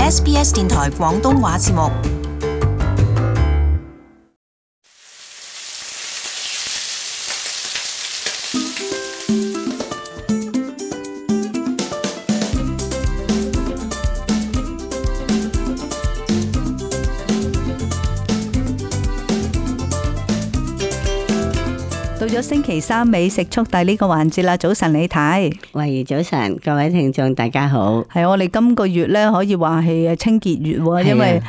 SBS 電台廣東話節目。到咗星期三美食速遞呢個環節啦，早晨李太。喂，早晨，各位聽眾大家好。係我哋今個月咧可以話係清潔月喎，因為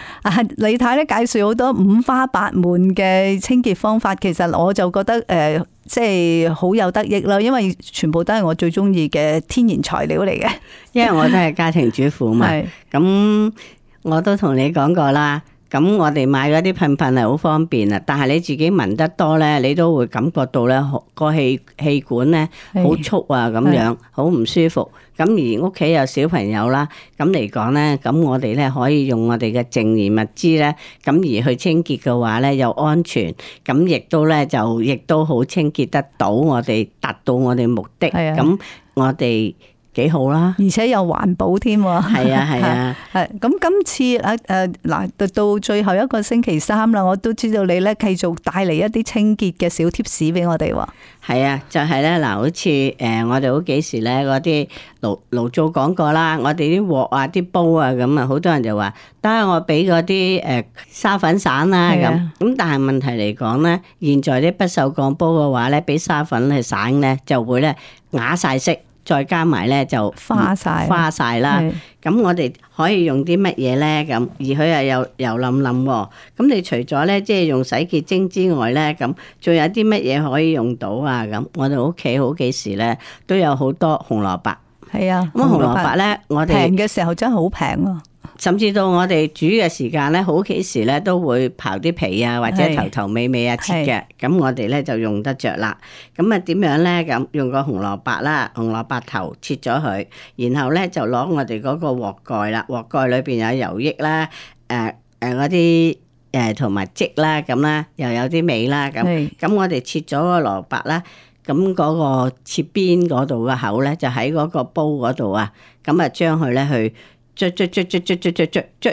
李太咧介紹好多五花八門嘅清潔方法，其實我就覺得即係好有得益啦，因為全部都係我最中意嘅天然材料嚟嘅。因為我都係家庭主婦嘛，咁我都同你講過啦。咁我哋買嗰啲噴噴係好方便啊，但係你自己聞得多咧，你都會感覺到咧個氣管咧好促啊，咁樣好唔舒服。咁而屋企有小朋友啦，咁嚟講咧，咁我哋咧可以用我哋嘅淨燃物資咧，咁而去清潔嘅話咧又安全，咁亦都咧就亦都好清潔得到，我哋達到我哋目的。咁我哋幾好啦，而且又環保添喎。係啊係啊，係咁今次嗱到最後一個星期三啦，我都知道你咧繼續帶嚟一啲清潔嘅小貼士俾我哋喎。係啊，就係咧嗱，好似我哋好幾時咧嗰啲爐灶講過啦，我哋啲鑊啊、啲煲啊咁啊，好多人就話得我俾嗰啲沙粉散啦咁，但係問題嚟講咧，現在啲不鏽鋼煲嘅話咧，俾沙粉去散咧，就會咧啞晒色。再加埋咧就花晒啦，咁我哋可以用啲乜嘢咧？咁而佢又油淋淋喎，咁你除咗咧即係用洗潔精之外咧，咁仲有啲乜嘢可以用到啊？咁我哋屋企好幾時咧都有好多紅蘿蔔。係啊，咁紅蘿蔔咧，我哋平嘅時候真係好平啊！甚至到我哋煮嘅時間咧，好幾時咧都會刨啲皮啊，或者頭頭尾尾啊切嘅，咁我哋咧就用得着啦。咁啊點樣咧？咁用個紅蘿蔔啦，紅蘿蔔頭切咗佢，然後咧就攞我哋嗰個鑊蓋啦，鑊蓋裏邊有油液啦，嗰啲同埋漬啦，咁啦，又有啲味啦，咁我哋切咗個蘿蔔啦，咁嗰個切邊嗰度嘅口咧，就喺嗰個煲嗰度啊，咁啊將佢咧去捽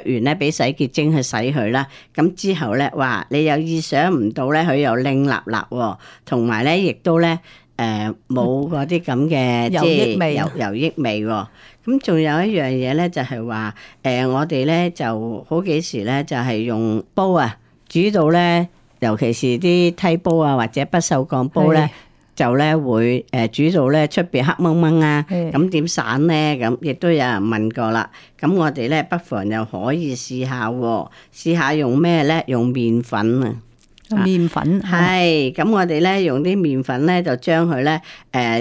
完咧，俾洗潔精去洗佢啦。咁之後咧，哇！你又意想唔到咧，佢又靚立立喎，同埋咧亦都咧冇嗰啲咁嘅即係油益味喎。咁仲有一樣嘢咧，就係話我哋咧就好幾時咧就係用煲啊煮到咧，尤其是啲梯煲啊或者不鏽鋼煲咧。就咧會煮到咧出邊黑掹掹啊，咁點散咧？咁亦都有人問過啦。咁我哋咧不妨又可以試下喎，試下用咩咧？用麵粉啊，麵粉係。咁我哋咧用啲麵粉咧，就將佢咧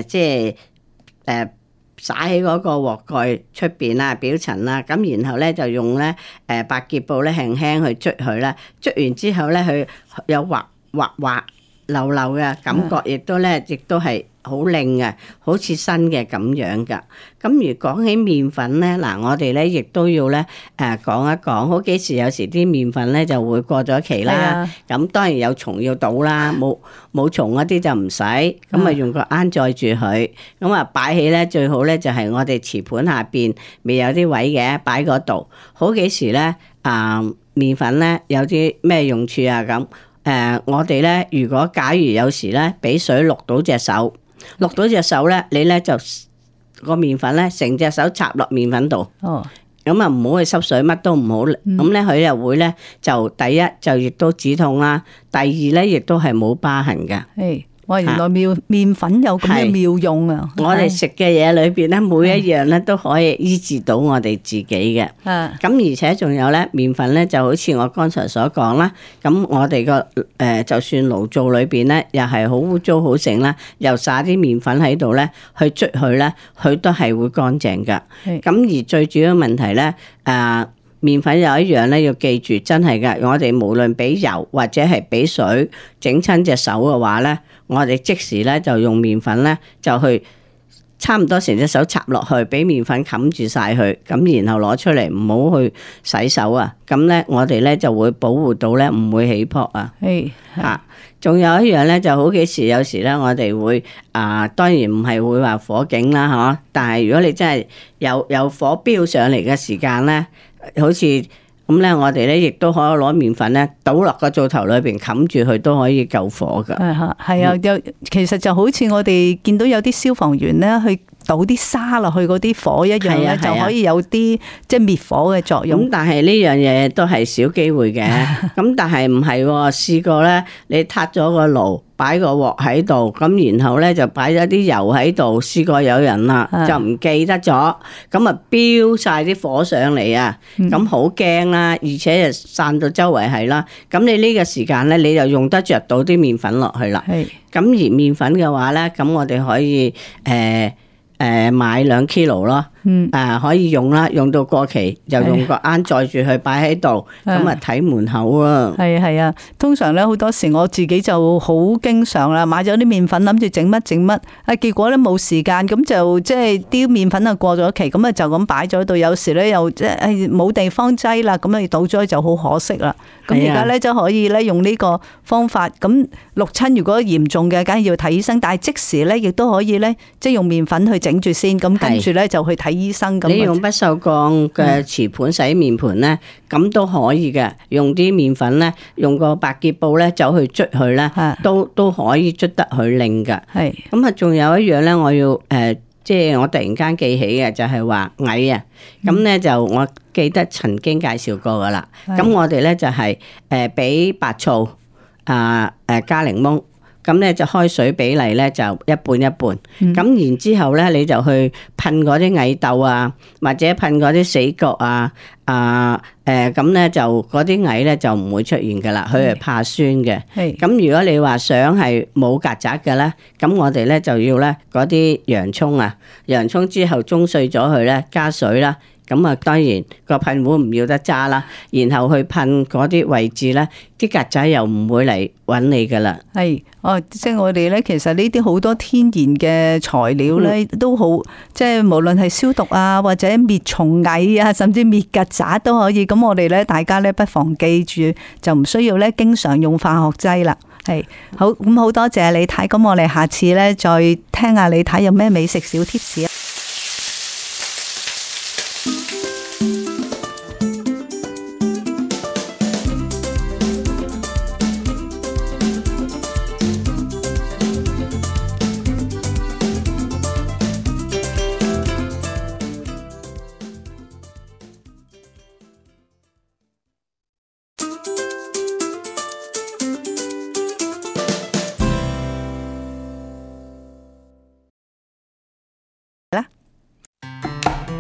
即係灑喺嗰個鑊蓋出邊啦，表層啦。咁然後咧就用咧百潔布咧輕輕去捽佢啦。捽完之後咧，佢有滑溜溜嘅感覺，亦都係好靚嘅，好似新嘅咁樣噶。咁如講起麵粉咧，嗱我哋咧亦都要咧講一講，好幾時有時啲麵粉咧就會過咗期啦。咁當然有蟲要倒啦，冇蟲嗰啲就唔使。咁啊用個罌載住佢，咁啊擺起咧最好咧就係我哋瓷盤下邊未有啲位嘅，擺嗰度。好幾時咧麵粉咧有啲咩用處啊咁？我哋咧，如果假如有時咧，俾水渌到隻手咧，你咧就個麵粉咧，成隻手插落麵粉度。咁啊，唔好去濕水，乜都唔好。咁咧，佢又會咧，就第一就亦都止痛啦，第二咧亦都係冇疤痕㗎。哇！原來麵粉有咁嘅妙用啊！我哋食嘅嘢裏邊咧，每一樣咧都可以醫治到我哋自己嘅。咁而且仲有咧，麵粉咧就好似我剛才所講啦。咁我哋個就算爐灶裏邊咧，又係好污糟好剩啦，又撒啲麵粉喺度咧，去捽佢咧，佢都係會乾淨噶。咁而最主要問題咧，麵粉有一樣咧，要記住，真係噶，我哋無論俾油或者係俾水整親隻手嘅話咧，我哋即時咧就用麵粉咧就去差唔多成隻手插落去，俾麵粉冚住晒佢，咁然後攞出嚟，唔好去洗手啊。咁咧，我哋咧就會保護到咧，唔會起泡啊。係嚇，仲有一樣咧，就好幾時有時咧，我哋會當然唔係會話火警啦，嚇。但係如果你真係有火飆上嚟嘅時間咧，好似咁咧，我哋咧亦都可以攞麵粉咧倒落個灶頭裏邊冚住佢，都可以救火㗎。係啊，其實就好似我哋見到有啲消防員咧去倒啲沙落去嗰啲火一樣咧，就可以有啲即係滅火嘅作用。咁但係呢樣嘢都係少機會嘅。咁但係唔係喎，試過咧，你撻咗個爐，擺個鑊喺度，咁然後咧就擺咗啲油喺度。試過有人啦，就唔記得咗，咁啊飆晒啲火上嚟啊，咁好驚啦，而且就散到周圍係啦。咁你呢個時間咧，你就用得着到啲麵粉落去啦。咁而麵粉嘅話咧，咁我哋可以買2 kilo 咯，可以用啦，用到過期就用個罌載住佢擺喺度，咁啊睇門口啊。係啊，通常咧好多時我自己就好經常啦，買咗啲麵粉諗住整乜，結果咧冇時間，咁就即係啲麵粉啊過咗期，咁啊就咁擺咗喺度，有時咧又即係冇地方擠啦，咁啊倒咗就好可惜啦。咁而家咧就可以咧用呢個方法，咁淥親如果嚴重嘅，梗係要睇醫生，但係即時咧亦都可以咧即係用麵粉去整住先，咁跟住咧就去睇醫生。你用不鏽鋼嘅瓷盤洗面盤咧，咁都可以嘅。用啲麵粉咧，用個白潔布咧走去捽佢咧，都可以捽得佢靚噶。咁啊，仲有一樣咧，我要即係我突然間記起嘅就係話蟻啊。咁咧就我記得曾經介紹過噶啦。咁我哋咧就係俾白醋加檸檬。咁咧就開水比例咧就一半一半，咁然之後咧你就去噴嗰啲蟻竇啊，或者噴嗰啲死角啊，咁咧就嗰啲蟻咧就唔會出現噶啦，佢係怕酸嘅。咁如果你話想係冇曱甴嘅咧，咁我哋咧就要咧嗰啲洋葱啊，洋葱之後舂碎咗佢咧，加水啦。咁啊，當然個噴壺唔要得揸啦，然後去噴嗰啲位置咧，啲曱甴又唔會嚟揾你噶啦。即係我哋咧，其實呢啲好多天然嘅材料咧，都好，即係無論係消毒啊，或者滅蟲蟻啊，甚至滅曱甴都可以。咁我哋咧，大家咧不妨記住，就唔需要咧經常用化學劑啦。好，咁好多謝李太，咁我哋下次咧再聽下李太有咩美食小貼士啊！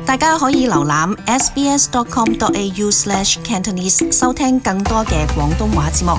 大家可以瀏覽 sbs.com.au/cantonese 收聽更多嘅廣東話節目。